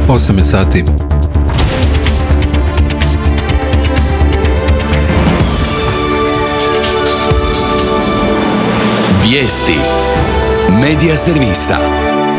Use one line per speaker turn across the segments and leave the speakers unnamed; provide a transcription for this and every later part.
8 je sati.
Vijesti Medija servisa.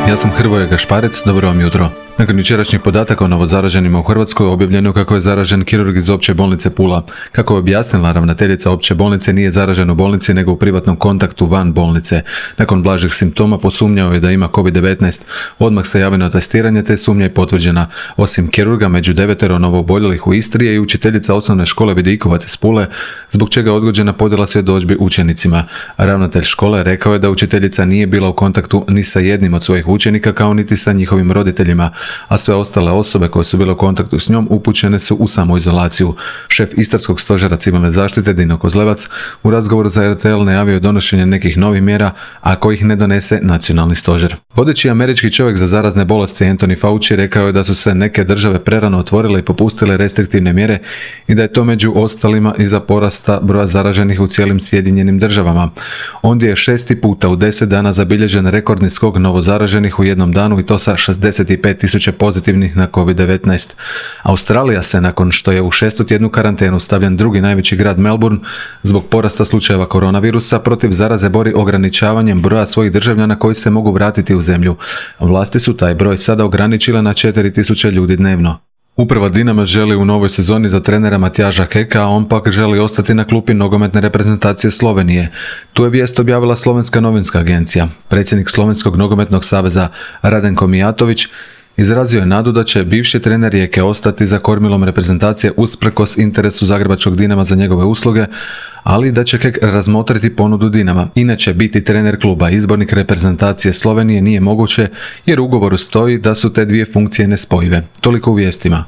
Ja sam Hrvoje Gašparec, dobro vam jutro. Nakon jučerašnjih podataka o novozaraženima u Hrvatskoj objavljeno kako je zaražen kirurg iz Opće bolnice Pula. Kako je objasnila ravnateljica Opće bolnice, nije zaražen u bolnici nego u privatnom kontaktu van bolnice. Nakon blažih simptoma posumnjao je da ima COVID-19. Odmah se javio na testiranje te sumnja je potvrđena. Osim kirurga, među 9 novooboljelih u Istri je i učiteljica osnovne škole Vidikovac iz Pule, zbog čega je odgođena podjela svjedodžbi učenicima. Ravnatelj škole rekao je da učiteljica nije bila u kontaktu ni sa jednim od svojih učenika kao niti sa njihovim roditeljima, a sve ostale osobe koje su bile u kontaktu s njom upućene su u samoizolaciju. Šef Istarskog stožera civilne zaštite Dino Kozlevac u razgovoru za RTL najavio je donošenje nekih novih mjera, ako ih ne donese nacionalni stožer. Vodeći američki čovjek za zarazne bolesti Anthony Fauci rekao je da su se neke države prerano otvorile i popustile restriktivne mjere i da je to među ostalima iza porasta broja zaraženih u cijelim Sjedinjenim državama. Ondje je 6. puta u 10 dana zabilježen rekordni skok novozaraženih u jednom danu i to sa 65.000 pozitivnih na COVID-19. Australija se, nakon što je u 6. tjednu karantenu stavljen drugi najveći grad Melbourne zbog porasta slučajeva koronavirusa, protiv zaraze bori ograničavanjem broja svojih državljana koji se mogu vratiti u zemlju. Vlasti su taj broj sada ograničile na 4.000 ljudi dnevno. Uprava Dinama želi u novoj sezoni za trenera Matjaža Keka, a on pak želi ostati na klupi nogometne reprezentacije Slovenije. Tu je vijest objavila Slovenska novinska agencija. Predsjednik Slovenskog nogometnog saveza Radenko Mijatović izrazio je nadu da će bivši trener Rijeke ostati za kormilom reprezentacije usprkos interesu zagrebačkog Dinama za njegove usluge, ali da će Kek razmotriti ponudu Dinama. Inače, biti trener kluba, izbornik reprezentacije Slovenije nije moguće jer u ugovoru stoji da su te dvije funkcije nespojive. Toliko u vijestima.